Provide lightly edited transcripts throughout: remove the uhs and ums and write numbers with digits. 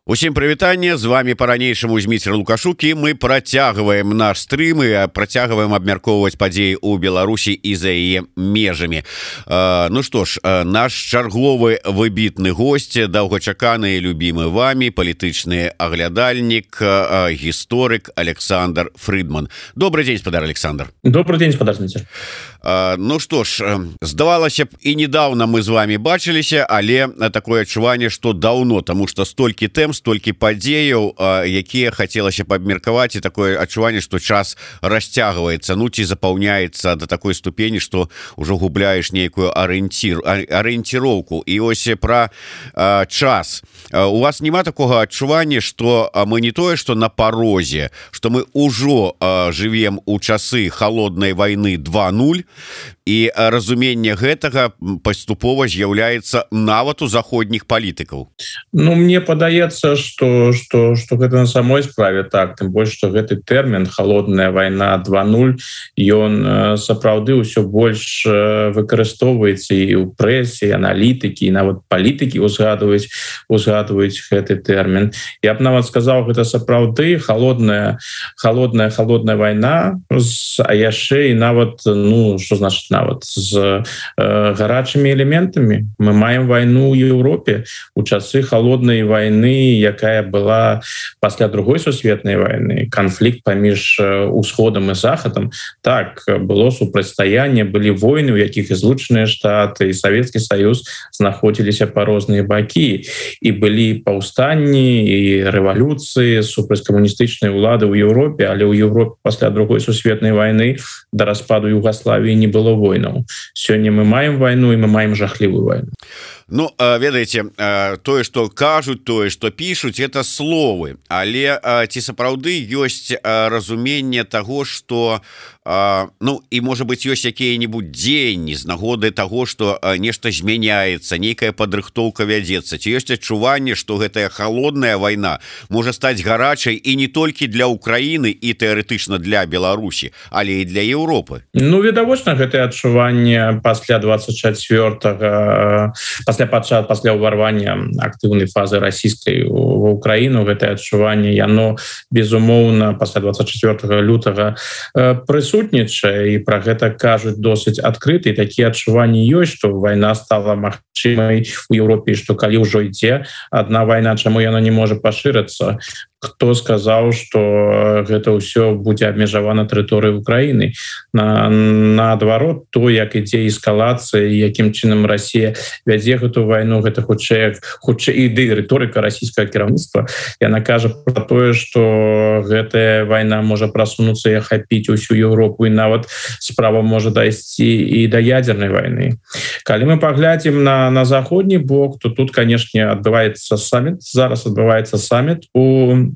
Усім прывітанне, з вами по-ранейшаму Зміцер Лукашук, і мы працягваем наш стрым і працягваем абмяркоўваць падзеі ў Беларусі і за яе межамі. Ну што ж, наш чарговы выбітны госць, даўгачаканы і любімы вами палітычны аглядальнік, гісторык Александр Фрыдман. Добрый дзень, спадар Александр. Добрый дзень, спадар Зміцер. Ну што ж, здавалася б, і недавно мы з вами бачыліся, але такое адчуванне, што даўно, таму што столькі тэм, столькі падзеяў, якія хацелася б абмеркаваць, і такое адчуванне, што час расцягваецца, ну ці запаўняецца да такой ступені, што ўжо губляеш нейкую арыенціроўку. І ось пра час. У вас няма такога адчування, што мы не тое, што на парозе, што мы ўжо жывем у часы халоднай вайны 2.0, і разуменне гэтага паступова з'яўляецца нават у заходніх палітыкаў. Ну, мне падаецца, што гэта на самой справе так, тым больш, што гэты тэрмін «халодная вайна 2.0», ён сапраўды ўсё больш выкарыстоўваецца і ў прэсе, аналітыкі, і нават палітыкі узгадваюць гэты тэрмін. Я б нават сказаў, гэта сапраўды холодная вайна, а яшчэ і нават, ну, што значыць нават, з гарачымі элементамі. Мы маем вайну ў Еўропе у часы холоднай вайны, якая была пасля другой сусветнай вайны, канфлікт паміж усходам і захадам. Так, было супрацьстаянне, былі войны, у якіх і Злучаныя Штаты, і Савецкі Саюз знаходзіліся па розныя бакі, і былі паўстанні і рэвалюцыі супраць камуністычнай улады ў Еўропе, але ў Еўропе пасля другой сусветнай вайны да распаду Югаславіі не было войнаў. Сёння мы маем вайну, і мы маем жахлівую вайну. Ну, ведаеце, тое, што кажуць, тое, што пішуць, это словы, але ці сапраўды ёсць разуменне таго, што, ну, і, можа быць, ёсць якія-небудзь дзеянні з нагоды таго, што нешта змяняецца, нейкая падрыхтоўка вядзецца, ці ёсць адчуванне, што гэтая халодная вайна можа стаць гарачай і не толькі для Украіны і тэарэтычна для Беларусі, але і для Еўропы? Ну, відавочна, гэтае адчуванне пасля 24-го, пасля ўварвання актыўнай фазы расійскай ва Ўкраіну, гэтае адчуванне, яно, безумоўна, пасля 24 лютага прысутнічае, і пра гэта кажуць досыць адкрыта, і такія адчуванні ёсць, што вайна стала магчымай у Еўропе, і што калі ўжо ідзе адна вайна, чаму яна не можа пашырыцца? Хто сказаў, што гэта ўсё будзе абмежавана тэрыторыяй Украіны? Наадварот, то, як ідзе эскалацыя, якім чынам Расія вядзе гэту вайну, гэта хутчэй ідэя рыторыка расійскага кіраўніцтва. Яна кажа пра тое, што гэтая вайна можа прасунуцца і ахапіць усю Еўропу, і нават справа можа дайсці і да ядзернай вайны. Калі мы паглядзім на заходні бок, то тут, канешне, адбываецца саміт. Зараз адбываецца саміт у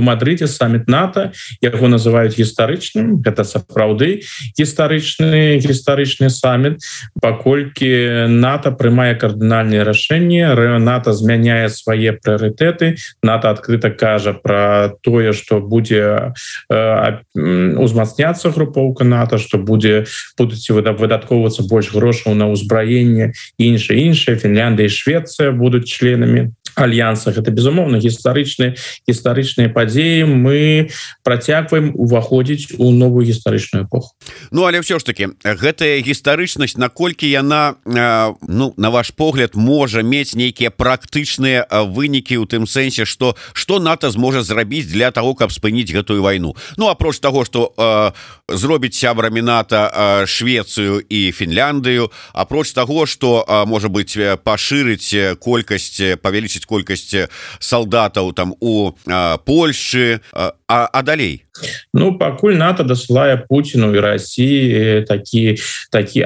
Мадрыдзе, саміт НАТО, яго называюць гістарычным. Гэта сапраўды гістарычны саміт, паколькі НАТО прымае кардынальныя рашэнні, НАТО змяняе свае прыярытэты, НАТО адкрыта кажа пра тое, што будзе узмацняцца групоўка НАТО, што будуць выдаткоўвацца больш грошаў на ўзбраенне, іншае, Фінляндыя і Швецыя будуць членамі альянса. Гэта, безумоўна, гістарычныя падзеі. Мы працягваем уваходзіць у новую гістарычную эпоху. Ну, але ўсё ж таки, гэтая гістарычнасць, наколькі яна, ну, на ваш погляд, можа мець нейкія практычныя вынікі ў тым сэнсе, што НАТО зможа зрабіць для таго, каб спыніць гэтую вайну? Ну, апроч таго, што зробіць сябрамі НАТО Швецыю і Фінляндыю, апроч таго, што, можа быць, пашырыць колькасць, павялічыць колькасць салдатаў там у Польшчы, а далей? Ну, пакуль НАТО дасылае Пуціну і Расіі такі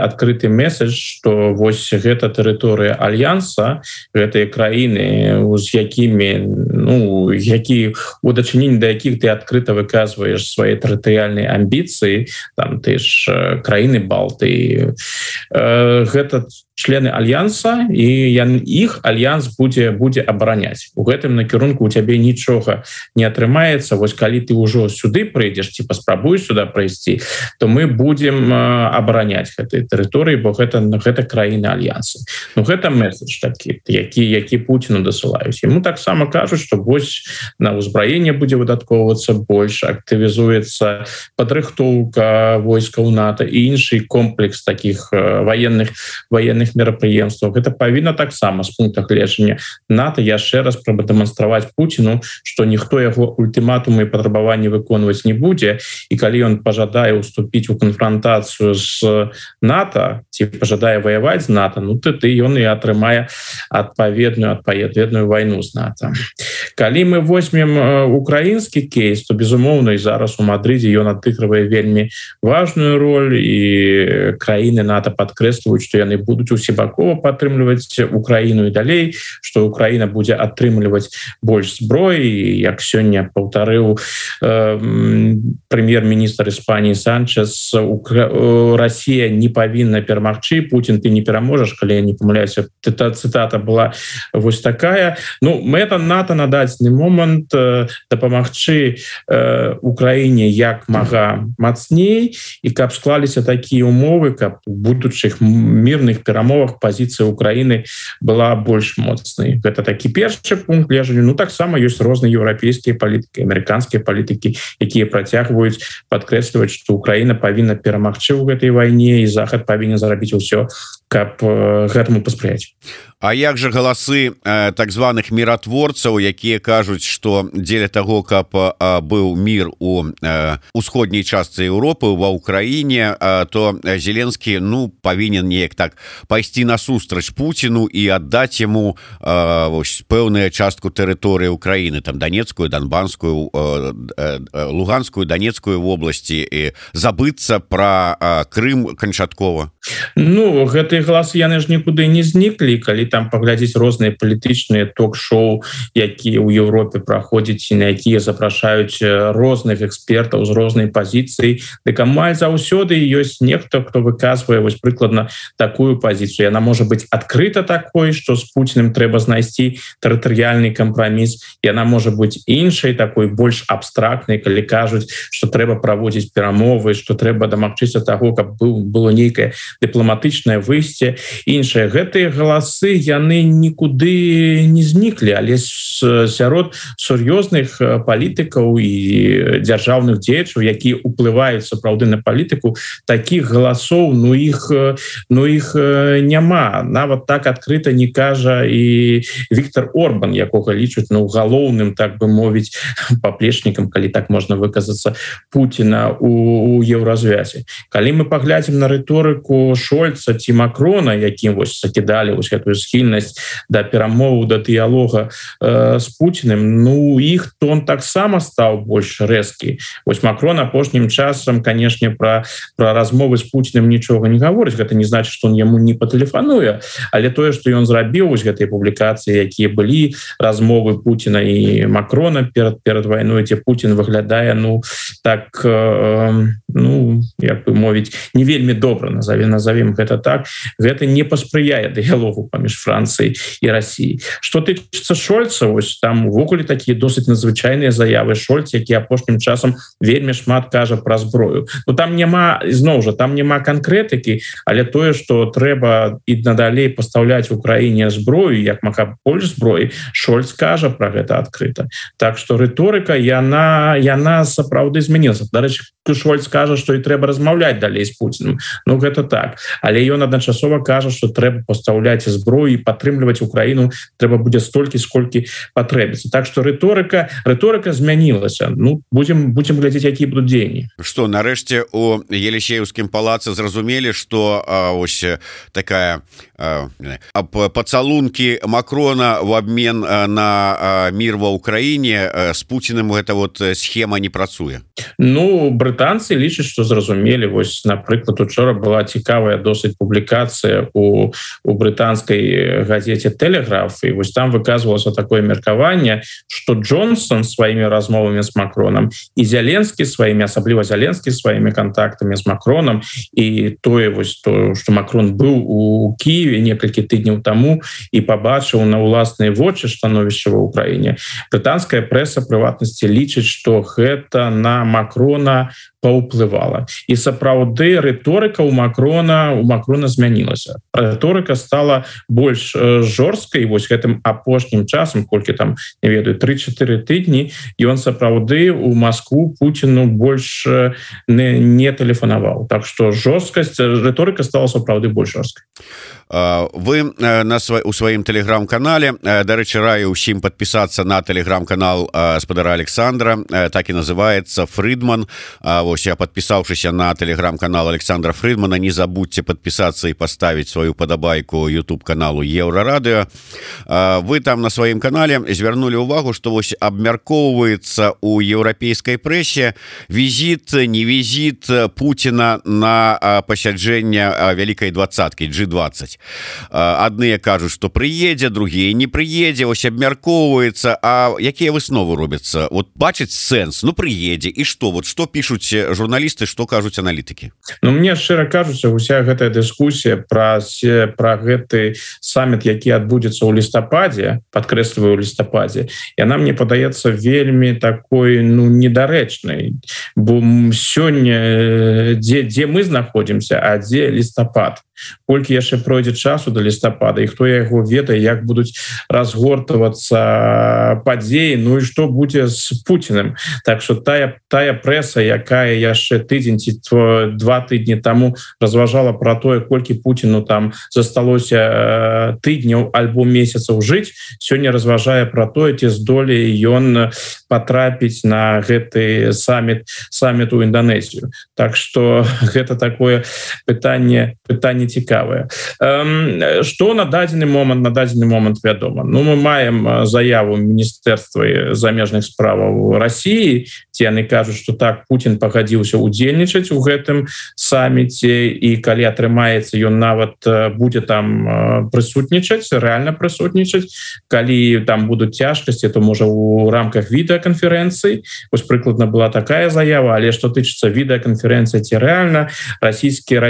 адкрыты месседж, што вось гэта тэрыторыя альянса, гэтыя краіны, з якімі, ну, у дачыненні да якіх ты адкрыта выказваеш свае тэрытарыяльныя амбіцыі, там ты ж краіны Балтыі, гэта члены альянса, і іх альянс будзе абараняць. У гэтым накірунку у цябе нічога не атрымаецца. Вось калі калі ты ўжо сюды прыйдзеш ці паспрабуеш сюда прайсці, то мы будем абараняць гэтай тэрыторыі, бо гэта краіны альянсы. Ну гэта месседж такі, які Пуціну дасылаюць. Яму таксама кажуць, што вось на ўзбраенне будзе выдаткоўвацца больш, актывізуецца падрыхтоўка войскаў НАТО і іншы комплекс такіх военных мерапрыемстваў. Гэта павінна таксама з пункта гледжання НАТО яшчэ раз прадэманстраваць Пуціну, што ніхто яго ультыматумы і патрабаванні выконваць не будзе, і калі ён пажадае ўступіць у канфронтацыю з НАТО ці пажадае ваяваць з НАТО, ну ты ён і атрымае адпаведную вайну з НАТО. Калі мы возьмем украінскі кейс, то безумоўна і зараз у Мадридзе ён адыгрывае вельмі важную роль, і краіны НАТО падкрэсліваюць, што яны будуць усебакова падтрымліваць Украіну і далей, што Украіна будзе атрымліваць больш зброі. Як сёння паўтарыў прэм'ер-міністр Іспаніі Санчес, Расія не павінна перамагчы, Путін ты не пераможаш, калі я не памыляюся. Цытата была вось такая. Ну, мэта НАТО на дадзены момант дапамагчы Украіне як мага мацней, і каб склаліся такія умовы, каб у будучых мірных перамовах пазіцыя Украіны была больш моцнай. Гэта такі першы пункт гледжання. Ну таксама ёсць розныя еўрапейскія палітыкі, амерыканскія палітыкі, якія працягваюць падкрэсліваць, што Украіна павінна перамагчы ў гэтай вайне, і Захад павінен зарабіць усё, каб гэтаму паспрыяць. А як жа галасы так званых міратворцаў, якія кажуць, што дзеля таго, каб быў мір у усходняй частцы Еўропы, ва ўкраіне, то Зеленскі павінен неяк так пайсці насустрач Пуціну і аддаць яму пэўную частку тэрыторыі Украіны, там Донецкую, Донбанскую, Луганскую, Донецкую вобласці, і забыцца пра Крым канчаткова. Ну, гэтыя галасы яны ж нікуды не зніклі, калі там паглядзець розныя палітычныя ток-шоу, якія ў Еўропе праходзяць і на якія запрашаюць розных экспертаў з рознай пазіцыі, дык амаль заўсёды ёсць нехта, хто выказвае вось прыкладна такую пазіцыю. Яна можа быць адкрыта такой, што з Пуціным трэба знайсці тэрытарыяльны кампраміс. Яна можа быць іншай, такой больш абстрактнай, калі кажуць, што трэба праводзіць перамовы, што трэба дамагчыся таго, каб было нейкае дыпламатычнае выйсце. Іншыя гэтыя галасы яны нікуды не зніклі, але сярод сур'ёзных палітыкаў і дзяржаўных дзеячаў, якія ўплываюць сапраўды на палітыку, такіх галасоў іх няма. Нават так адкрыта не кажа і Віктор Орбан, якога лічуць галоўным, так бы мовіць, паплечнікам, калі так можна выказацца, Пуціна у еўразвязе. Калі мы паглядзім на рыторыку Шольца ці Макрона, якім вось закідалі вось гэтую схільнасць да перамоваў, да дыялога з Пуціным, іх тон таксама стаў больш рэзкі. Вось Макрон апошнім часам, канешне, пра размовы з Пуціным нічога не гаворыць. Гэта не значыць, што он яму не патэлефануе, але тое, што ён зрабіў вось гэтай публікацыі, якія былі размовы Пуціна і Макрона перад вайной, дзе Пуцін выглядае так, як бы мовіць, не вельмі добра, назовем гэта так, гэта не паспрыяе дыялогу паміж Францыяй і Расіяй. Што тычыцца Шольца, вось там увогуле такія досыць надзвычайныя заявы. Шольц, які апошнім часам вельмі шмат кажа пра зброю. Там няма, зноў жа, там няма канкрэтыкі, але тое, што трэба і надалей пастаўляць Украіне зброю, як мага больш зброі, Шольц кажа пра гэта адкрыта. Так што рыторыка, яна сапраўды змянілася. Дарэчы, Шольц кажа, што і трэба размаўляць далей з Пуціным. Гэта так. Але ён адначасова кажа, што трэба пастаўляць зброю і падтрымліваць Украіну трэба будзе столькі, сколькі патрэбіцца. Так што рыторыка змянілася. Будзем глядзець, якія будуць дзеянні. Што, нарэшце, у Елісееўскім палацы зразумелі, што ось такая пацалункі Макрона в обмен на мір ва Ўкраіне з Пуціным гэта схема не працуе. Брытанцы лічаць, што зразумелі. Вось, напрыклад, учора была цікавая досыць публікацыя у брытанскай газеце «Тэлеграф», і вось там выказвалася такое меркаванне, што Джонсон сваімі размовамі з Макронам і Зеленскі сваімі, асабліва Зеленскі сваімі кантактамі з Макронам, і тое, што Макрон быў у Кіеве некалькі тыдняў таму і пабачыў на ўласныя вочы становішча ва Ўкраіне. Брытанская прэса, прыватнасці лічыць, што гэта на Макрона паўплывала. І сапраўды рыторыка у Макрона змянілася. Рыторыка стала больш жорсткай, вось гэтым апошнім часам, колькі там, не ведаю, 3-4 тыдні, ён сапраўды у Москву Путіну больш не тэлефанаваў. Так што жорсткасць, рыторыка стала сапраўды больш жорсткай. Вы у сваім тэлеграм-канале, дарэчы, раю ўсім падпісацца на тэлеграм-канал гаспадара Александра, так і называецца Фридман. Вось, я падпісаўшыся на тэлеграм-канал Александра Фридмана, не забудьте падпісацца і паставіць сваю падабайку YouTube-каналу Еўрарадыё. Вы там на сваім канале звярнулі ўвагу, што вось абмяркоўваецца ў еўрапейскай прэсе візіт, не візіт Путіна на пасяджэнне Вялікай двадцаткі G20. Адныя кажуць, што прыедзе, другія не прыедзе, ось абмяркоўваецца. А якія высновы робяцца? Вот бачыць сэнс, ну прыедзе, і што? Вот што пішуць журналісты, што кажуць аналітыкі? Ну, мне шчыра кажуцца, уся гэтая дыскусія пра гэты саміт, які адбудзецца ў лістападзе, падкрэсліваю, ў лістападзе, яна, мне падаецца, вельмі такой, ну, недарэчнай. Бо сёння, дзе мы знаходзімся, а дзе лістапад? Колькі яшчэ пройдзе часу до лістапада, і хто яго ведае, як будуць разгортвацца падзеі, ну і што будзе з Путіным. Так што тая прэса, якая яшчэ тыдзень ці 2 тыдні таму разважала пра тое, колькі Путіну там засталося тыдняў альбо месяцаў жыць, сёння разважае пра тое, ці здолее ён патрапіць на гэты саміт у Інданезію. Так што гэта такое пытанне цікавае. Што на дадзены момант вядома? Ну, мы маем заяву Міністэрства замежных справаў Расіі, ці яны кажуць, што так, Путін пагадзіўся удзельнічаць у гэтым саміце, і калі атрымаецца, ён нават будзе там прысутнічаць, рэальна прысутнічаць. Калі там будуць цяжкасці, то можа у рамках відэаканферэнцыі. Вось прыкладна была такая заява, але што тычыцца відэаканферэнцыі ці рэальна, расійскі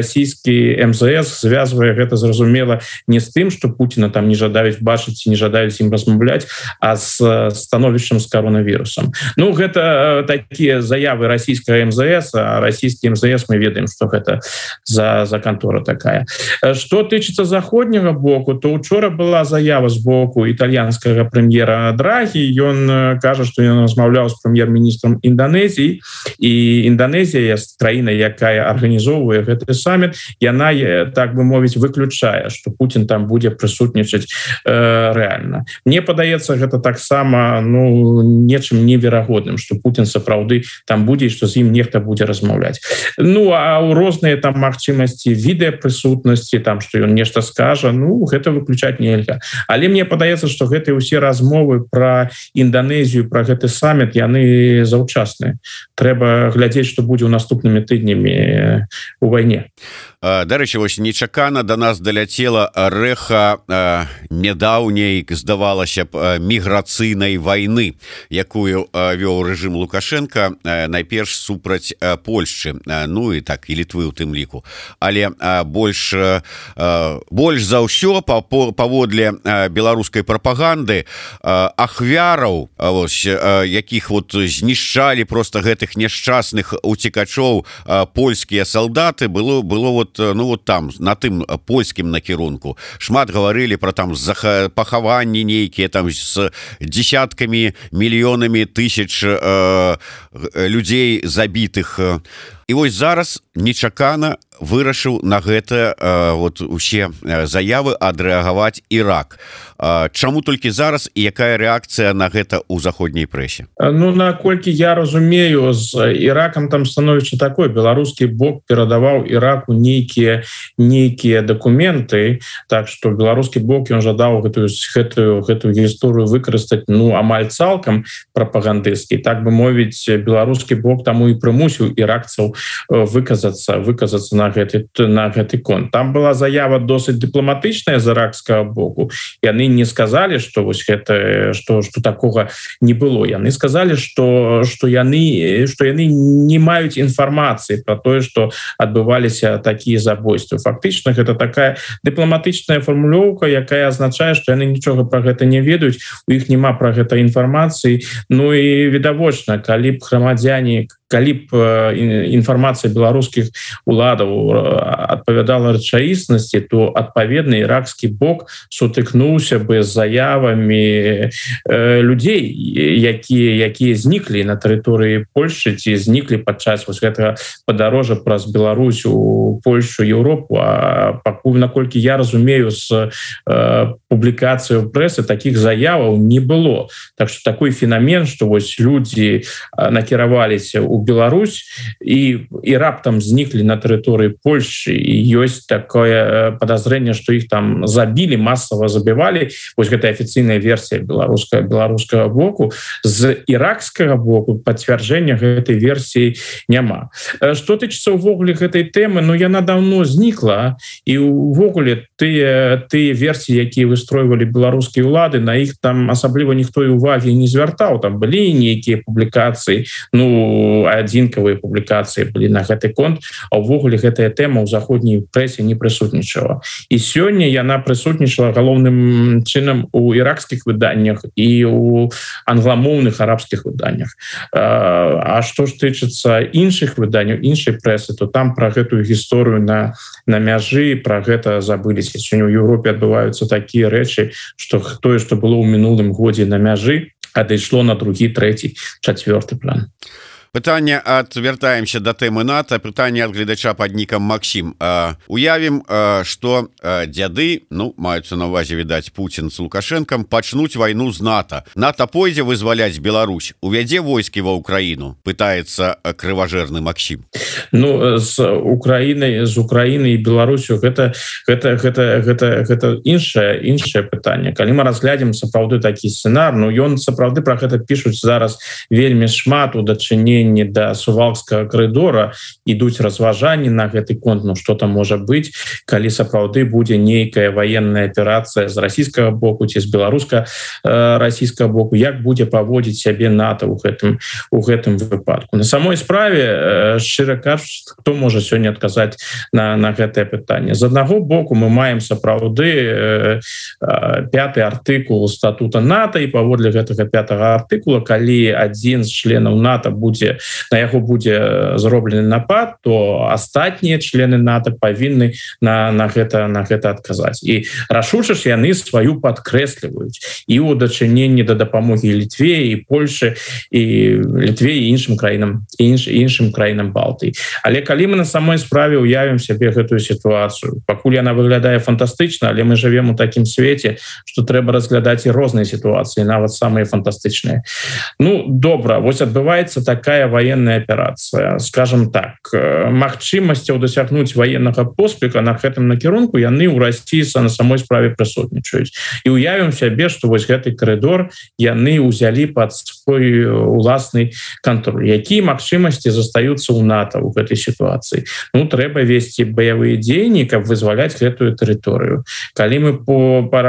МЗС звязвае гэта, зразумела, не з тым, што Путіна там не жадаюць бачыць і не жадаюць ім размаўляць, а з становішчам з коронавірусам. Ну, гэта такія заявы расійскага МЗС, а расійскі МЗС мы ведаем, што гэта за кантора такая. Што тычыцца заходняга боку, то учора была заява з боку італьянскага прэм'ера Драгі. Ён кажа, што ён размаўляў з прэм'ер-міністрам Інданезіі, і Інданезія, краіна, якая арганізоўвае гэты саміт, яна, так бы мовіць, выключае, што Путін там будзе прысутнічаць рэальна. Мне падаецца, гэта таксама, ну, нечым неверагодным, што Путін сапраўды там будзе, што з ім нехта будзе размаўляць. Ну, а ў розныя там магчымасці відэапрысутнасці, там, што ён нешта скажа, ну, гэта выключаць нельга. Але мне падаецца, што гэтыя ўсе размовы пра Інданезію, пра гэты саміт, яны заўчасныя. Трэба глядзець, што будзе ў наступнымі тыднямі у вайне. Дарэчы, вось нечакана да нас даляцела рэха нядаўняй, здавалася б, міграцыйнай вайны, якую вёў рэжым Лукашенка, найперш супраць Польшчы, ну і так, і Літвы ў тым ліку. Але больш за ўсё, паводле беларускай прапаганды, ахвяраў, якіх вот знішчалі проста гэтых няшчасных уцекачоў польскія салдаты, было вот, ну вот там, на тым польскім накірунку. Шмат гаварылі пра там пахаванні нейкія там з дзесяткамі, мільёнамі тысяч людзей забітых. І вось зараз нечакана вырашыў на гэта вот усе заявы адрэагаваць Ірак. Чаму толькі зараз і якая рэакцыя на гэта ў заходняй прэсе? Ну, наколькі я разумею, з Іракам там становішча такое. Беларускі бок перадаваў Іраку нейкія дакументы, так што беларускі бок, ён жадаў гэтую гісторыю выкарыстаць, ну, амаль цалкам прапагандысцкі. Так бы мовіць, беларускі бок таму і прымусіў іракцаў выказацца на гэты конт. Там была заява досыць дыпламатычная з іракскага боку. Яны не сказалі, што вось гэта што такога не было. Яны сказалі, што яны не маюць інфармацыі пра тое, што адбываліся такія забойствы. Фактычна гэта такая дыпламатычная фармулёўка, якая азначае, што яны нічога пра гэта не ведаюць, у іх няма пра гэта інфармацыі. Ну і відавочна, калі б грамадзяне, калі б інфармацыя беларускіх уладаў адпавядала рэчаіснасці, то адпаведны іракскі бок сутыкнуўся бы з заявамі людзей, якія зніклі на тэрыторыі Польшчы ці зніклі падчас вось гэтага падарожжа праз Беларусь у Польшчу, Еўропу. А пакуль, наколькі я разумею, з публікацыяй прэсы такіх заяваў не было. Так што такой феномен, што вось людзі накіраваліся ў Беларусь і раптам зніклі на тэрыторыі Польшчы, і ёсць такое падазрэнне, што іх там забілі, масава забівалі. Вось гэта афіцыйная версія беларускага боку. З іракскага боку пацвярджэння гэтай версіі няма. Што тычыцца ўвогуле гэтай тэмы, ну яна даўно знікла, і ўвогуле тыя версіі, якія выстройвалі беларускія ўлады, на іх там асабліва ніхто і увагі не звяртаў. Там былі нейкія публікацыі, ну адзінкавыя публікацыі былі на гэты конт, а ўвогуле гэтая тэма ў заходняй прэсе не прысутнічала. І сёння яна прысутнічала галоўным чынам у іракскіх выданнях і ў англамоўных арабскіх выданнях. А што ж тычыцца іншых выданняў, іншай прэсы, то там пра гэтую гісторыю на мяжы, пра гэта забыліся. Сёння ў Еўропе адбываюцца такія рэчы, што тое, што было ў мінулым годзе на мяжы, адышло на другі, трэці, чацвёрты план. Пытанне вяртаемся да тэмы НАТО. Пытанне ад гледача пад нікам Максім. Уявім, што дзяды, ну, маюцца на ўвазе, відаць, Пуцін з Лукашэнкам, пачнуць вайну з НАТО. НАТО пойдзе вызваляць Беларусь, увядзе войскі ва Ўкраіну, пытаецца крыважэрны Максім. Ну, з Украінай і Беларусю гэта іншае пытанне. Калі мы разглядзім сапраўды такі сцэнар, ну, ён сапраўды пра гэта пішуць зараз вельмі шмат у дачыненні да Сувалкскага карыдора, ідуць разважанні на гэты конт, ну што там можа быць, калі сапраўды будзе нейкая военная аперацыя з расійскага боку ці з беларуска-расійскага боку, як будзе паводзіць сябе НАТО ў гэтым выпадку. На самой справе, шчыра кажучы, хто можа сёння адказаць на гэтае пытанне? З аднаго боку мы маем сапраўды 5-й артыкул статута НАТО, і паводле гэтага 5-го артыкула, калі адзін з членаў НАТО на яго будзе зроблены напад, то астатнія члены НАТО павінны на гэта адказаць. І рашуча ж яны сваю падкрэсліваюць і ў дачыненні да дапамогі Літве і Польшы, і Літве і іншым краінам Балтыі. Але калі мы на самой справе уявім сябе гэтую сітуацыю, пакуль яна выглядае фантастычна, але мы жывем у такім свеце, што трэба разглядаць і розныя сітуацыі, нават самыя фантастычныя. Ну, добра, вось адбываецца такая военная аперацыя. Скажем так, магчымасцяў дасягнуць военнага поспеха на гэтым накірунку яны ў Расіі на самой справе прысутнічаюць. І уявім сябе, што вось гэты карыдор яны ўзялі пад свой уласны кантроль. Якія магчымасці застаюцца ў НАТО ў гэтай сітуацыі? Ну, трэба весці баявыя дзеянні, каб вызваляць гэтую тэрыторыю. Калі мы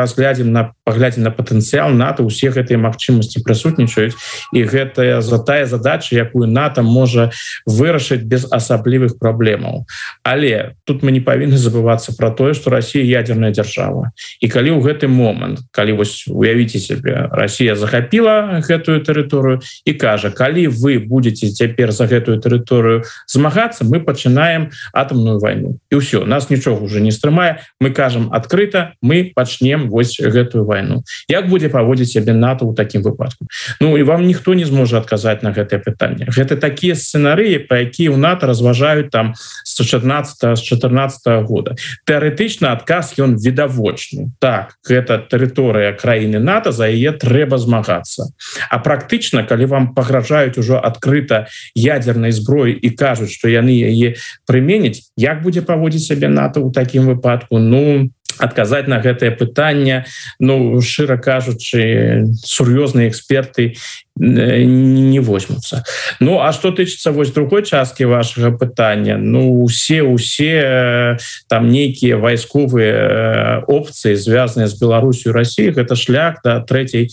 паглядзім на патэнцыял НАТО, усе гэтыя магчымасці прысутнічаюць, і гэта тая задача, якую НАТО можа вырашыць без асаблівых праблемаў. Але тут мы не павінны забывацца пра тое, што Расія ядерная дзяржава. І калі ў гэты момант, калі вось уявіце сябе, Расія захапіла гэтую тэрыторыю і кажа, калі вы будзеце цяпер за гэтую тэрыторыю змагацца, мы пачынаем атамную вайну. І ўсё, нас нічога ўжо не стрымае, мы кажам адкрыта, мы пачнем вось гэтую вайну. Як будзе паводзіць сябе НАТО ў такім выпадку? Ну, і вам ніхто не зможа адказаць на гэтае пытанне. Гэта такія сцэнарыі, пра якія ў НАТО разважаюць там з 14 года. Тэарэтычна адказ ён відавочны. Так, гэта тэрыторыя краіны НАТО, за яе трэба змагацца. А практычна, калі вам пагражаюць ужо адкрыта ядернай зброі і кажуць, што яны яе прыменяць, як будзе паводзіць сябе НАТО ў такім выпадку? Ну, адказаць на гэтае пытанне, ну, шчыра кажучы, сур'ёзныя эксперты не возьмутся. Ну а что тычыцца вось другой часткі вашага пытання, ну усе там нейкія вайсковыя опцыі звязаныя з Беларусью, Россией, гэта шлях до третьей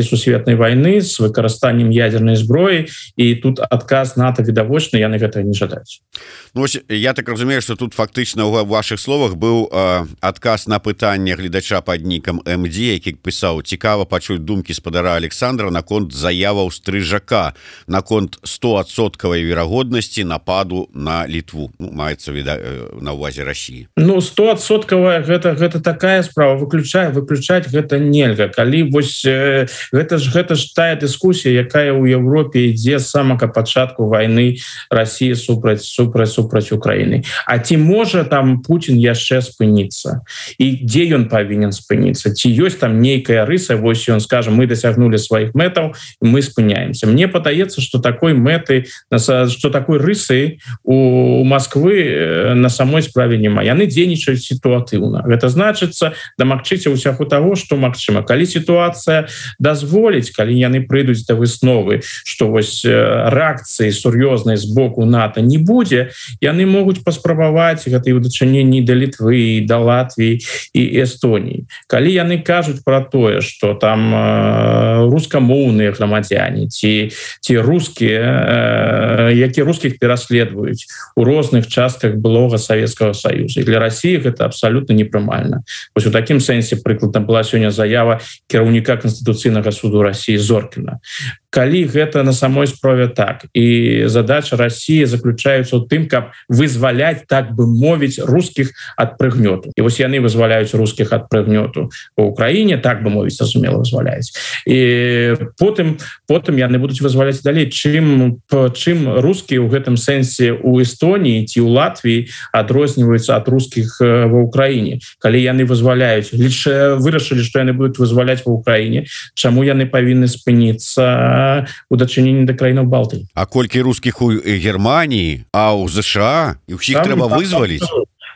сусветнай войны с выкарыстаннем ядерной зброі, і тут адказ НАТО відавочны, яны гэтага не жадаюць. Ну, я так разумею, что тут фактычна ў ваших словах быў адказ на пытанне гледача под нікам МД, які пісаў: цікава пачуць думкі спадара Александра наконт заяваў Стрыжака наконт 100% верагоднасці нападу на Літву. Ну, маецца на ўвазе России. Ну 100% гэта такая справа, выключаць гэта нельга. Калі вось гэта ж тая дыскусія, якая ў Европе ідзе з самага пачатку войны России супраць Украины. А ці можа там Путин яшчэ спыніцца, і дзе ён павінен спыніцца, ці ёсць там нейкая рыса, вось ён скажа: мы дасягнули сваіх мэтаў, мы спыняемся. Мне падаецца, что такой мэты, что такой рысы у Москвы на самой справе няма. Яны дзейнічаюць сітуатыўна. Гэта значыцца дамагчыся ўсяго того, что магчыма. Калі сітуацыя дазволіць, калі яны прыйдуць да высновы, что вось рэакцыі сур'ёзнай з боку НАТО не будзе, яны могуць паспрабаваць гэта і ў дачыненні да Літвы, да Латвіі і Эстоніі. Калі яны кажуць про тое, что там рускамоўныя грамадзяне ці рускія, які рускіх пераследуюць у розных частках былога Савецкага Саюза, і для России гэта абсолютно непрымальна. Вось у такім сэнсе прыкладна была сёння заява кіраўніка Канстытуцыйнага суду России Зоркіна. Калі гэта на самой справе так, і задача России заключаецца ў тым, каб вызваляць, так бы мовіць, рускіх ад прыгнёту. І вось яны вызваляюць рускіх ад прыгнёту у Украіне, так бы мовіць, зразумела, вызваляюць. І потым яны будуць вызваляць далей. Чым рускія ў гэтым сэнсе у Эстоніі ці ў Латвіі адрозніваюцца ад рускіх ва Украіне. Калі яны вызваляюць, вырашылі, што яны будуць вызваляць ва Украіне, чаму яны павінны спыніцца у дачыненні да краінаў Балтыі? А колькі рускіх у Германії, а ў ЗША, і ўсіх трэба вызваліць?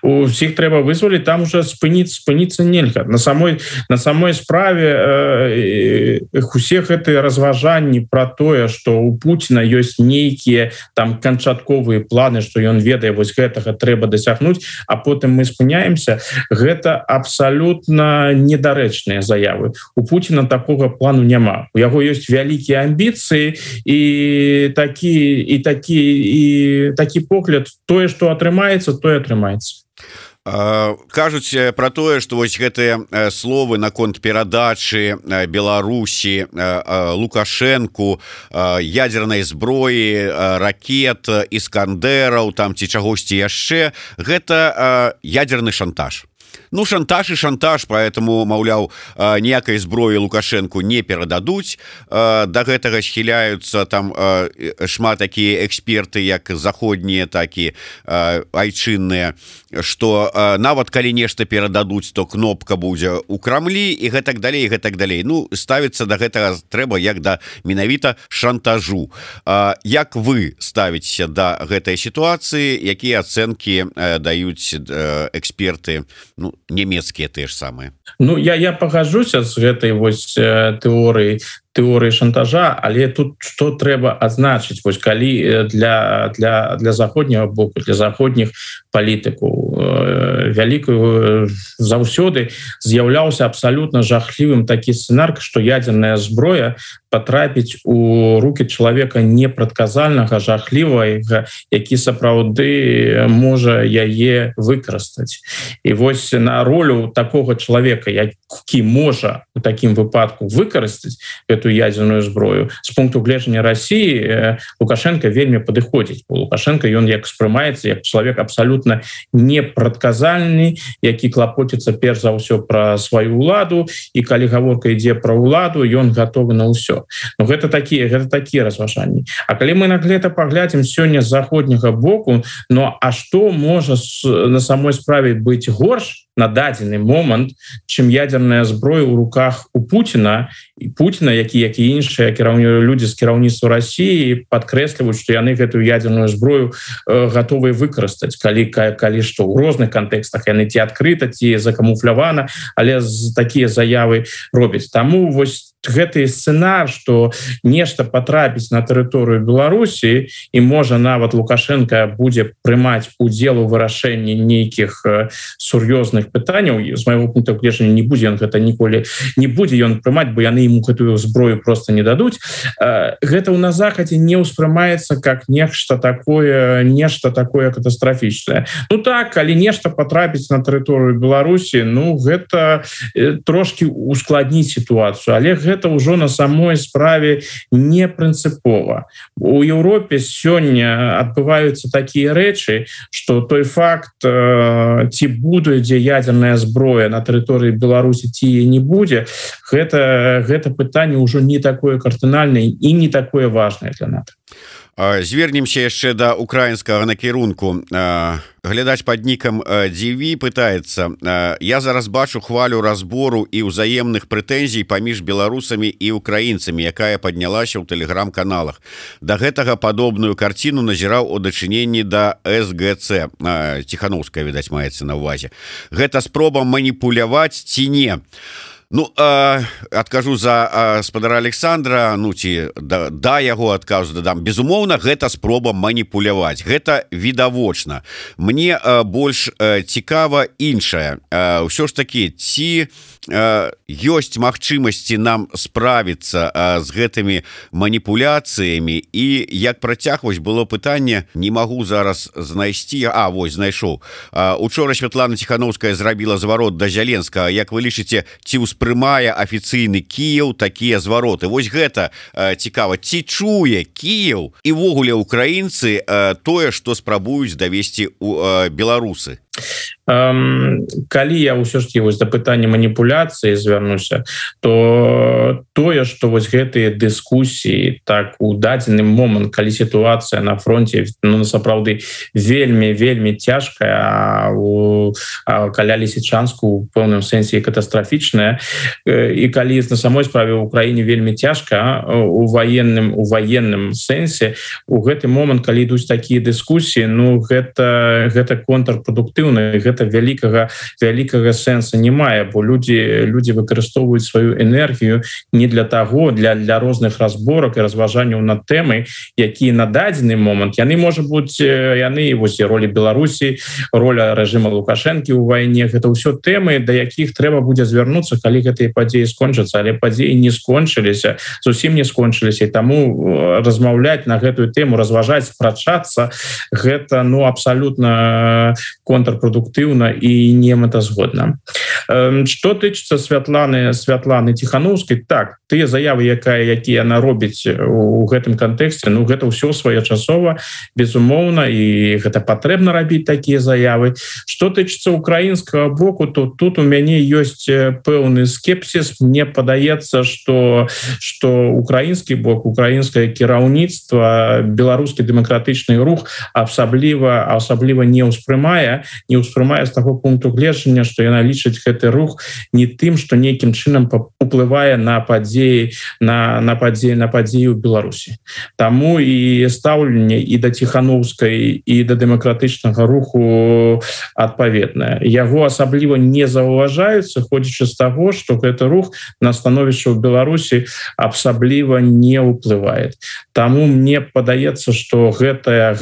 Усіх трэба вызваліць, там уже спыніцца нельга. На самой справе усе гэтыя разважанні про тое, что у Путина ёсць нейкія там канчатковыя планы, что ён ведае, вось гэтага трэба дасягнуць, а потым мы спыняемся, гэта абсалютна недарэчныя заявы. У Путина такога плану няма. У яго ёсць вялікія амбіцыі, і такі погляд: тое, што атрымаецца, тое атрымаецца. Кажуць про тое, што вось гэтыя словы наконт перадачы Беларусі Лукашэнку ядернай зброі, ракет, іскандераў там ці чагосьці яшчэ, гэта ядерны шантаж. Ну, шантаж и шантаж, поэтому, маўляў, ніякай зброі Лукашэнку не перададуць. Да гэтага схіляюцца там шмат такія эксперты, як заходнія, так і айчынныя, што нават калі нешта перададуць, то кнопка будзе ў Крамлі і гэтак далей, гэтак далей. Ну, ставіцца да гэтага трэба як да менавіта шантажу. Як вы ставіцеся да гэтай сітуацыі, якія ацэнкі даюць эксперты, ну, нямецкія тыя ж самыя? Ну, я пагажуся з гэтай вось тэорыі шантажа, але тут што трэба адзначыць, вось калі для заходняга боку, для заходніх палітыкаў вялікую заўсёды з'яўляўся абсалютна жахлівым такі сцэнар, што ядерная зброя патрапіць у рукі чалавека непрадказальнага, жахлівага, які сапраўды можа яе выкарыстаць. І вось на ролю такога чалавека, які можа у такім выпадку выкарыстаць эту ядерную зброю, з пункту гледжання России Лукашенко вельмі падыходзіць. Лукашенко ён як спрымаецца як чалавек абсалютна непрадказальны, які клапоціцца перш за ўсё пра сваю ўладу, і калі гаворка ідзе пра ўладу, ён гатовы на ўсё. Ну, гэта такія разважанні. А калі мы на гэта паглядзім сёння з заходняга боку, ну а што можа на самой справе быць горш на дадзены момант, чым ядерная зброя ў руках у Путина, і Путина, які іншыя людзі з кіраўніцтва России падкрэсліваюць, што яны гэтую ядерную зброю гатовыя выкарыстаць, калі што ў розных кантэкстах яны ці адкрыта, ці закамуфлявана, але такія заявы робяць. Таму вось гэты сцэнар, што нешта патрапіць на тэрыторыю Беларусі і можа нават Лукашенко будзе прымаць удзел у вырашэнні нейкіх сур'ёзных пытанняў, з майго пункту гледжання не будзе ён гэта ніколі не будзе ён прымаць, бо яны ему гэтую зброю просто не дадуць. Гэта ў на захадзе не ўспрымаецца как нешта такое катастрафічнае. Ну так, калі нешта патрапіць на тэрыторыю Беларусі, ну гэта трошки ускладніць сітуацыю, але гэта ўжо на самой справе не прынцыпова. У Еўропе сёння адбываюцца такія рэчы, што той факт, ці будзе ядерная зброя на тэрыторыі Беларусі, ці не будзе, гэта пытанне ўжо не такое кардынальнае і не такое важнае для НАТО. Звернемся яшчэ да украінскага накірунку. Глядач пад нікам DV пытаецца: я зараз бачу хвалю разбору і ўзаемных прэтэнзій паміж беларусамі і украінцамі, якая паднялася ў тэлеграм-каналах. Да гэтага падобную карціну назіраў у дачыненні да СГЦ. Ціхановская, відаць, маецца на ўвазе. Гэта спроба маніпуляваць ці не? Ну, адкажу за спадара Александра, ну, ці да яго адказу дадам. Безумоўна, гэта спроба маніпуляваць. Гэта відавочна. Мне больш цікава іншае. Ўсё ж такі, ці ёсць магчымасці нам справіцца з гэтымі маніпуляцыямі, і як працягваць было пытанне, не магу зараз знайсці. Вось, знайшоў. Учора Святлана Ціхановская зрабіла зварот да Зяленскага. Як вы лічыце, ці ўспрымае афіцыйны Кіеў такія звароты? Вось гэта цікава. Ці чуе Кіеў і ввогуле украінцы тое, што спрабуюць давесці беларусы? Калі я ўсё ж такі вось да пытання маніпуляцыі звярнуся, то тое, што вось гэтыя дыскусіі так у дадзены момант, калі сітуацыя на фронте, ну, сапраўды вельмі цяжкая, каля Лісічанску у пэўным сэнсе катастрафічная, і калі на самой справе ў Украіне вельмі цяжка у ваенным сэнсе, у гэты момант, калі ідуць такія дыскусіі, ну гэта контрпрадуктыўна, гэта вялікага сэнса не мае, бо людзі выкарыстоўваюць сваю энергію не для таго, для розных разборак і разважанняў над тэмай, якія на дадзены момант яны, можа быць, яны вось ролі Беларусі, роля рэжыма Лукашэнкі ў вайне, гэта ўсё тэмы, да якіх трэба будзе звярнуцца, калі гэтыя падзеі скончацца, але падзеі не скончыліся, зусім не скончыліся, і таму размаўляць на гэтую тэму, разважаць, спрачацца, гэта, ну, абсалютна контрпрадуктыўна і немэтазгодна. Што тычыцца Святланы Ціхановскай, так, тыя заявы, якія яна робіць у гэтым кантэксце, ну, гэта ўсё своечасова, безумоўна, і гэта патрэбна рабіць такія заявы. Што тычыцца украінскага боку, то тут у мяне ёсць пэўны скепсіс. Мне падаецца, што украінскі бок, украінскае кіраўніцтва, беларускі дэмакратычны рух асабліва не ўспрымае з таго пункту гледжання, што яна лічыць гэты рух не тым, што нейкім чынам уплывае на падзеі ў Беларусі. Таму і стаўленне і да Ціхановскай, і да дэмакратычнага руху адпаведнае. Яго асабліва не заўважаюць, сыходзячы з таго, што гэты рух на становішча ў Беларусі асабліва не ўплывае. Таму мне падаецца, што гэтая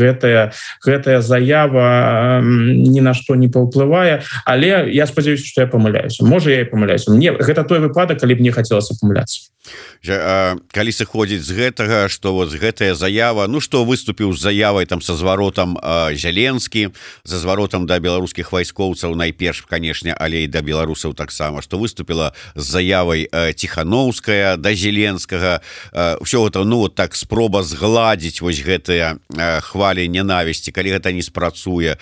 заява ні на што не паўплывае, але я спадзяюся, што я памыляюся. Можа, я і памыляюся. Мне гэта той выпадак, калі б мне хацелася памыляцца. Калі сыходзіць з гэтага, што вот гэтая заява, ну што выступіў з заявай там са зваротам Зяленскі, за зваротам да беларускіх вайскоўцаў найперш, канешне, але і да беларусаў таксама, што выступіла з заявай Ціхановская да Зеленскага, ўсё гэта, ну, вот так спроба згладзіць вось гэтыя хвалі ненавісці. Калі гэта не спрацуе,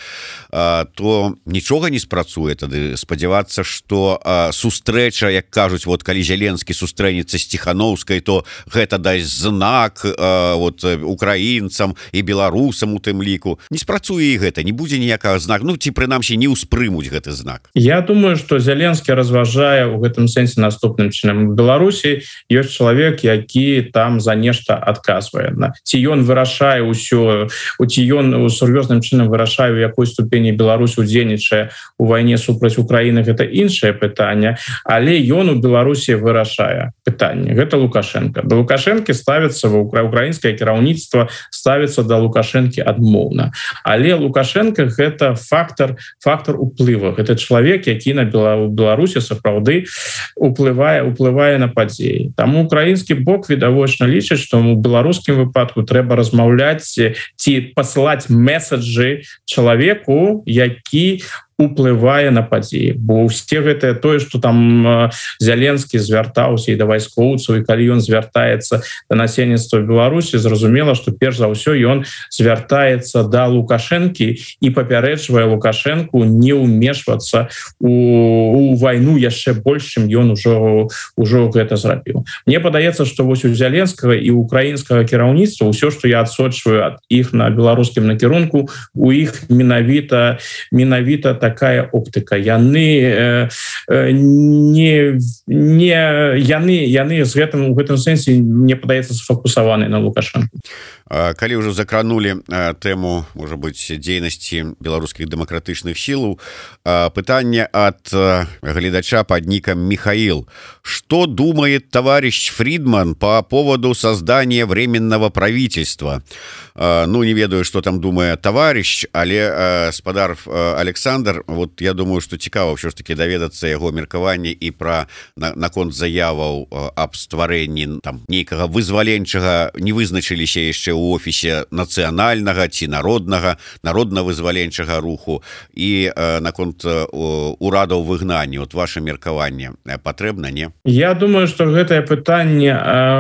то нічога не спрацуе. Тады спадзявацца, што сустрэча, як кажуць, вот калі Зеленскі сустрэнецца з Ціхановскай, то гэта дасць знак вот украінцам і беларусам у тым ліку. Не спрацуе і гэта, не будзе ніякага знака, ну ці прынамсі не ўспрымуць гэты знак. Я думаю, што Зеленскі разважае ў гэтым сэнсе наступным чынам. У Беларусі ёсць чалавек, які там за нешта адказвае. Ці ён вырашае ўсё, ці ён сур'ёзным чынам вырашае, у якой ступені Беларусь удзельнічае удзельнічае у вайне супраць Украіны, гэта іншае пытанне, але ён у Беларусі вырашае пытанне. Гэта Лукашенко. Да Лукашенко ставіцца украінскае кіраўніцтва, ставіцца да Лукашенко адмоўна. Але Лукашенко гэта фактор уплыва. Гэта чалавек, які на Беларусі сапраўды уплывае на падзеі. Таму украінскі бок відавочна лічыць, што у беларускім выпадку трэба размаўляць ці пасылаць месаджы чалавеку, які уплывае на падзеі. Бо ўсе гэтае тое, што там Зеленскі звяртаўся і да вайскоўцаў, і калі ён звяртаецца да насельніцтва Беларусі, зразумела, што перш за ўсё ён звяртаецца да Лукашэнкі і папярэджвае Лукашэнку не ўмешвацца у вайну яшчэ больш, чым ён ужо гэта зрабіў. Мне падаецца, што вось у Зеленскага і украінскага кіраўніцтва ўсё, што я адсочваю ад іх на беларускім накірунку, у іх менавіта такая оптыка. Яны з гэтым у гэтым сэнсе, мне падаецца, сфокусаваны на Лукашенко. Калі ўжо закранули тэму, можа быць, дзейнасці беларускіх дэмакратычных сілаў, пытанне ад гледача под ником Михаил. Что думает товарищ Фридман по поводу создания временного правительства? Ну, не ведаю, что там думает товарищ, але спадар Александр, вот я думаю, что цікава ўсё ж таки даведацца яго меркаванне і пра наконт заяваў аб стварэнні там нейкага вызваленчага, не вызначыліся яшчэ ў офісе нацыянальнага ці народна-вызваленчага руху, і наконт урадаў выгнання. Вот ваше меркаванне патрэбна, не? Я думаю, что гэтае пытанне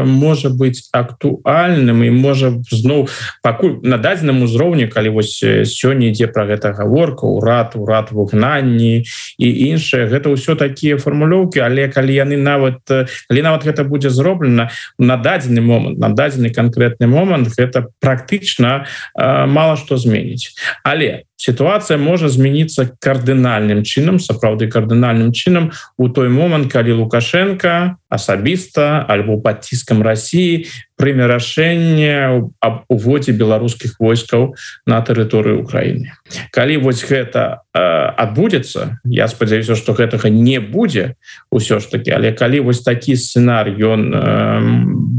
можа быць актуальным і можа зноў пакуль на дадзеным узроўні, калі вось сёння ідзе пра гэта гаворка, урад выгнанні і іншае, гэта ўсё такія фармулёўкі, але калі нават гэта будзе зроблена на дадзены момант, на дадзены канкрэтны момант, гэта практычна мала што зменіць. Але ситуация можа змяніцца кардынальным чынам, сапраўды кардынальным чынам у той момант, калі Лукашенко асабіста альбо пад ціскам России прыме рашэнне аб уводзе беларускіх войскаў на тэрыторыю Украіны. Калі вось гэта адбудзецца, я спадзяюся, што гэтага не будзе ўсё ж таки, але калі вось такі сцэнар ён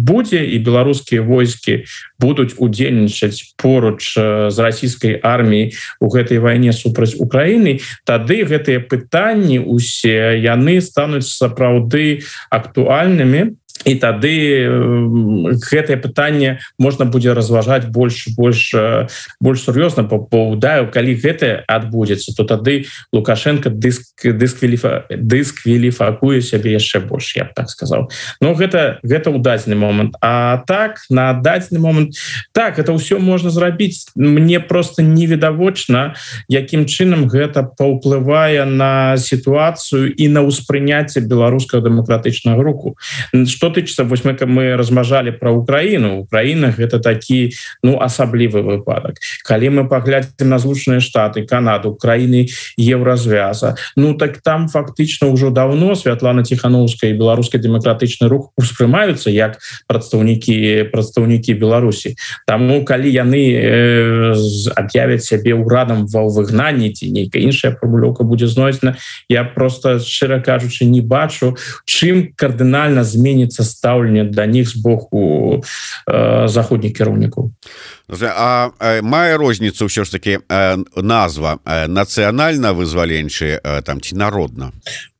будзе і беларускія войскі будуць удзельнічаць поруч з расійскай арміяй у гэтай вайне супраць Украіны, тады гэтыя пытанні усе яны стануць сапраўды актуальнымі, і тады гэтае пытанне можна будзе разважаць больш сур'ёзна. Паўдаю, калі гэта адбудзецца, то тады Лукашенко дыскваліфікуе сябе яшчэ больш, я б так сказаў. Но гэта ў дадзены момант. А так, на дадзены момант, так, это ўсё можна зрабіць. Мне просто невідавочна, якім чынам гэта паўплывае на сітуацыю і на ўспрыняцце беларускага дэмакратычнага руху. Што тычыцца, вось мы размажалі пра Украіну. Украіна гэта такі асаблівы выпадак. Калі мы паглядзім на Злучаныя Штаты, Канаду, краіны Еўразвяза, так там фактычна ўжо даўно Святлана Ціхановская і беларускі дэмакратычны рух успрымаюцца як прадстаўнікі Беларусі. Таму калі яны аб'явяць сябе ўрадам ва выгнанні ці нейкая іншая фармулёўка будзе знойдзена, я просто, шчыра кажучы, не бачу, чым кардынальна зменіцца стаўленне да них з боку заходніх кіраўнікаў. А мае розніцу ўсё ж таки назва нацыянальна-вызваленчы там ці народна?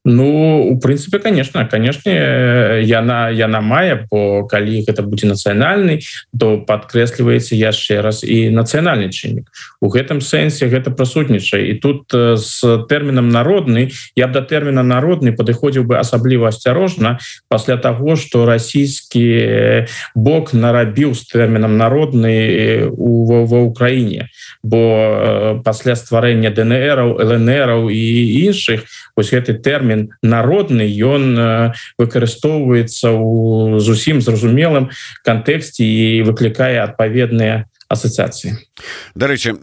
У прынцыпе, конечно, яна мае, бо калі гэта будзе нацыянальны, то падкрэсліваецца яшчэ раз і нацыянальны чыннік. У гэтым сэнсе гэта прысутнічае. І тут з тэрмінам народны, я б да тэрміна народны падыходзіў бы асабліва асцярожна пасля таго, што расійскі бок нарабіў з тэрмінам народны ва Ўкраіне. Бо пасля стварэння ДНРаў, ЛНРаў і іншых, вось гэты тэрмін народны, ён выкарыстоўваецца ў зусім зразумелым кантэксце і выклікае адпаведныя ассоциации. Дарэчы,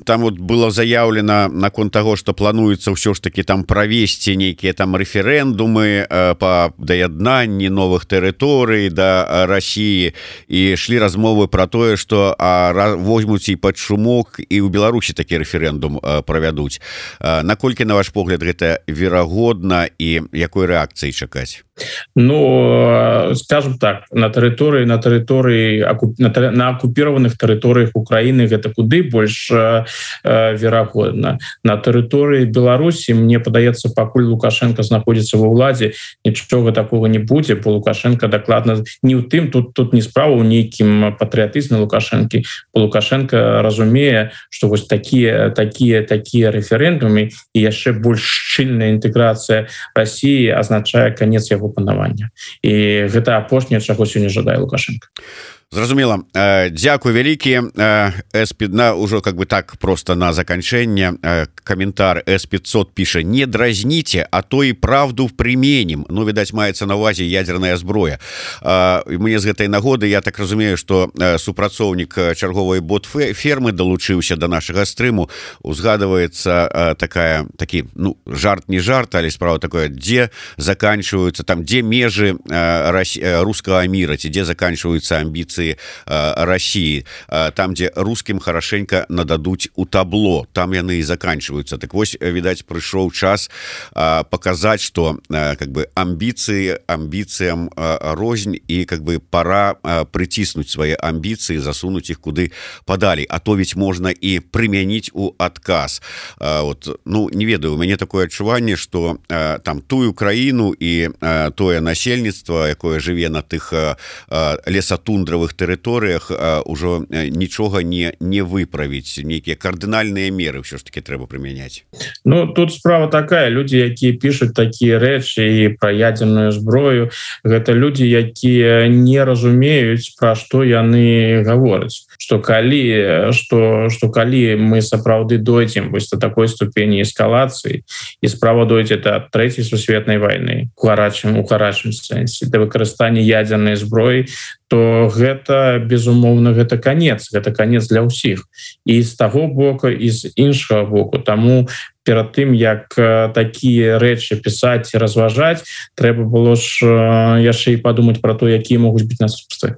там вот было заявлено наконт того, что плануецца ўсё ж таки там правесці нейкія там рэферэндумы по даяднанні новых тэрыторый да России, і шлі размовы про тое, что возьмуць і под шумок і ў Беларусі такі рэферэндум правядуць. Наколькі, на ваш погляд, гэта верагодна і якой рэакцыі чакаць? Ну, скажем так, на оккупированных территориях Украины это куды больше верагодна. На территории Беларуси, мне падаецца, пакуль Лукашенко находится во ўладзе, нічога такого не будзе, бо Лукашенко дакладна не ў тым, тут не справа ў нейкім патрыятызме Лукашенко. Лукашенко разумее, что вось такие референдумы и яшчэ больш шчыльная інтэграцыя России означае конец яго панавання. І гэта апошняе, чаго сёння жадае Лукашенко. Зразумела. Дзякуй вялікі. С5 ўжо как бы так просто на заканчэнне каментар С500 піша: не дразніце, а то і правду применім. Ну, відаць, маецца на ўвазе ядерная зброя. Мне з гэтай нагоды, я так разумею, што супрацоўнік чарговай бот-фермы далучыўся да нашага стрыму. Узгадваецца такі, ну, жарт не жарт, але справа такое, дзе заканчиваются, там, дзе межы рускага мира, ці дзе заканчиваются амбіцыі России, там, где русским хорошенько нададуть у табло, там яны и заканчиваются. Так вось, видать, пришел час показать, что как бы амбициям рознь, и как бы пора притиснуть свои амбиции, засунуть их куды подали. А то ведь можно и применить у отказ. Вот, ну, не ведаю, у меня такое адчуванне, что там тую краіну и тое насельніцтва, якое жыве на тых лесатундравых тэрыторыях, ужо нічога не выправіць. Нейкія кардынальныя меры ўсё ж таки трэба прымяняць. Ну, тут справа такая, людзі, якія пішуць такія рэчы і пра ядерную зброю, гэта людзі, якія не разумеюць, пра што яны гавораць. Што калі мы сапраўды дойдзем вось да такой ступені эскалацыі, і справа дойдзе да трэцяй сусветнай вайны у гарачым сэнсе, да выкарыстання ядернай зброі, то гэта, безумоўна, гэта канец для ўсіх. І з таго боку, і з іншага боку. Таму перад тым, як такія рэчы пісаць і разважаць, трэба было ж яшчэ і падумаць пра то, якія могуць быць наступствы.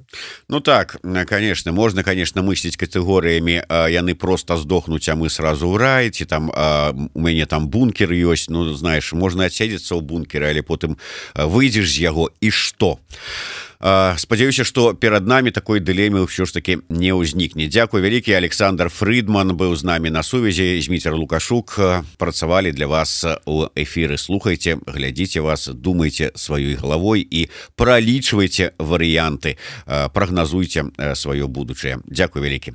Ну так, конечно, можно, конечно, мыслить катэгорыямі, яны просто здохнуць, а мы сразу ў рай, ці там у мяне там бункер ёсць, ну, знаешь, можна адседзецца ў бункеры, але потым выйдзеш з яго, і што? Спадзяюся, што перад намі такой дылемы ўсё ж таки не ўзнікне. Дзякуй вялікі. Александр Фрыдман быў з намі на сувязі. Зміцер Лукашук працавалі для вас у эфіры. Слухайце, глядзіце вас, думайце сваёй галавой і пралічвайце варыянты, прагназуйце сваё будучае. Дзякуй вялікі.